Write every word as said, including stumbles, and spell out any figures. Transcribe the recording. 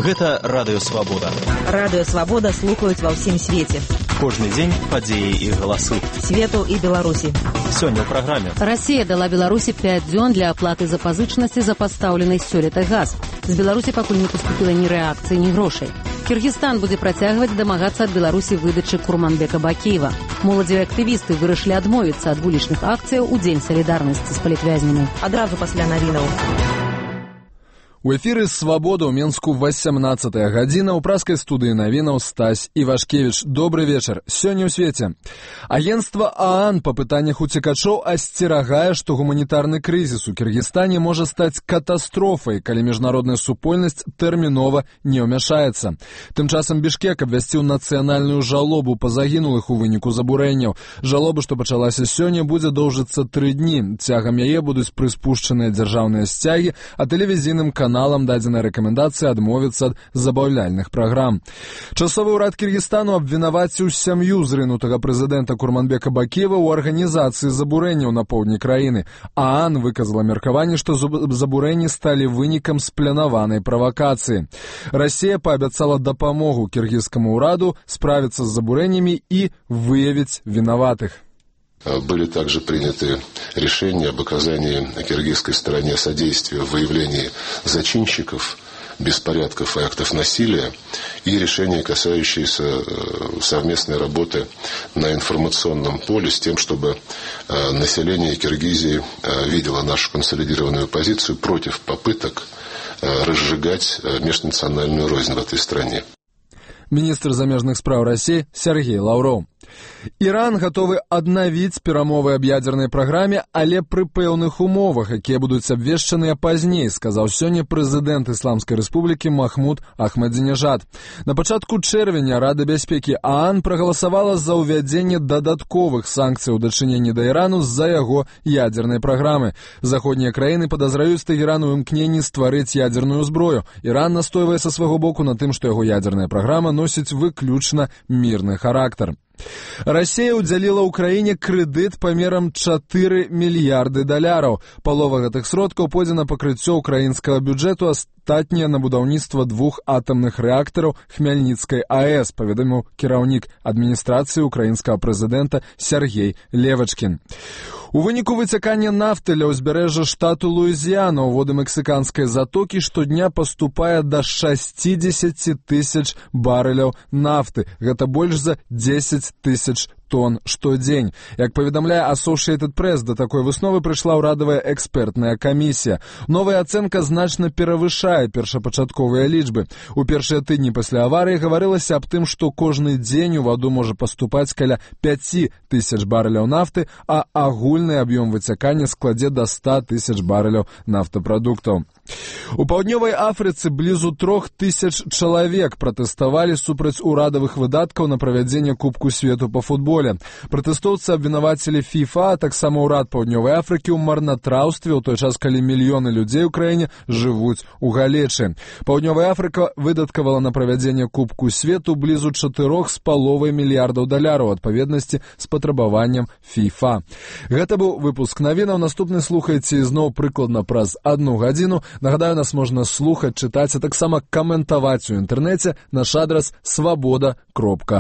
Гэта Радыё Свабода. Радыё Свабода слухаюць ва ўсім свеце. Кожны дзень падзеі і галасы. Свету і Беларусі. Сёння ў праграме. Расія дала Беларусі пяць дзён для аплаты запазычнасці за пастаўлены сёлета газ. З Беларусі пакуль не паступіла ні рэакцыі, ні грошай. Кыргызстан будзе працягваць дамагацца ад Беларусі выдачы Курманбека Бакиева. Моладзевыя актывісты вырашылі адмовіцца ад вулічных акцыяў у дзень салідарнасці з палітвязнямі. Адразу пасля навінаў. У эфіры «Свабода» ў Менску васямнадцатая гадзіна, ў праскай студыі навінаў Стась Івашкевіч. Добры вечар. Сёння ў свеце. Агенцтва ААН па пытаннях уцекачоў асцерагае, што гуманітарны крызіс у Кыргызстане можа стаць катастрофай, калі міжнародная супольнасць тэрмінова не ўмяшаецца. Тым часам Бішкек абвясціў нацыянальную жалобу па загінулых у выніку забурэнняў. Жалоба, што пачалася сёння, будзе доўжыцца тры дні. Цягам яе будуць прыспушчаныя дзяржаўныя сцягі, а тэлевізійным каналам каналам дадзена рэкамендацыя адмовіцца ад забаўляльных праграм. Часовы ўрад Кыргызстану абвінаваціў сям'ю зрынутага прэзідэнта Курманбека Бакиева ў арганізацыі забурэнняў на поўдні краіны. ААН выказала меркаванне, што забурэнні сталі вынікам спланаванай правакацыі. Расія паабяцала дапамогу кіргізскаму ўраду справіцца з забурэннямі і выявіць вінаватых. Были также приняты решения об оказании киргизской стороне содействия в выявлении зачинщиков беспорядков и актов насилия и решения, касающиеся совместной работы на информационном поле с тем, чтобы население Киргизии видело нашу консолидированную позицию против попыток разжигать межнациональную рознь в этой стране. Міністр замежных спраў Расіі Сергей Лаўроў. Іран гатовы аднавіць перамовы аб ядзернай праграме, але пры пэўных умовах, якія будуць абвешчаныя пазней, сказаў сёння прэзідэнт Ісламскай рэспублікі Махмуд Ахмадзінежад. На пачатку чэрвеня Рада бяспекі ААН прагаласавала за ўвядзенне дадатковых санкцый у дачыненні да Ірану з-за яго ядзернай праграмы. Заходнія краіны падазраюць Тэгеран у імкненні стварыць ядзерную зброю. Іран настойвае са свайго боку на тым, што яго ядзерная праграма носіць выключна мірны характар. Расія ўдзяліла ўкраіне крэдыт памерам чатыры мільярды даляраў. Палова гэтых сродкаў пойдзе на пакрыццё ўкраінскага бюджэту, астатняе на будаўніцтва двух атамных рэактараў Хмяльніцкай АЭС, паведаміў кіраўнік адміністрацыі ўкраінскага прэзідэнта Сергей Левачкін. У выніку выцякання нафты ля ўзбярэжжа штату Луізіяна ў воды мексіканскай затокі штодня паступае да шасцідзесяці тысяч барэляў нафты. Гэта больш за дзесяць тысяч тонн штодзень. Як паведамляе Associated Press, да такой высновы прыйшла ўрадавая экспертная камісія. Новая ацэнка значна перавышае першапачатковыя лічбы. У першыя тыдні пасля аварыі гаварылася аб тым, што кожны дзень у ваду можа паступаць каля пяць тысяч барэляў нафты, а агульны аб'ём выцякання складзе да ста тысяч барэляў нафтапрадуктаў. У паўднёвай Афрыцы блізу трох тысяч чалавек пратэставалі супраць урадавых выдаткаў на правядзенне Кубку свету па футболе. Пратэстоўцы абвінавацілі FIFA, а таксама ўрад паўднёвай Афрыкі ў марнатраўстве ў той час, калі мільёны людзей у краіне жывуць у галечы. Паўднёвая Афрыка выдаткавала на правядзенне Кубку свету блізу чатырох з паловай мільярдаў даляраў адпаведнасці з патрабаваннем FIFA. Гэта быў выпуск навінаў. Наступны слухайце ізноў прыкладна праз адну гадзіну. Нагадаю, нас можна слухаць, чытаць, а таксама каментаваць у інтэрнэце. Наш адрас свабода кропка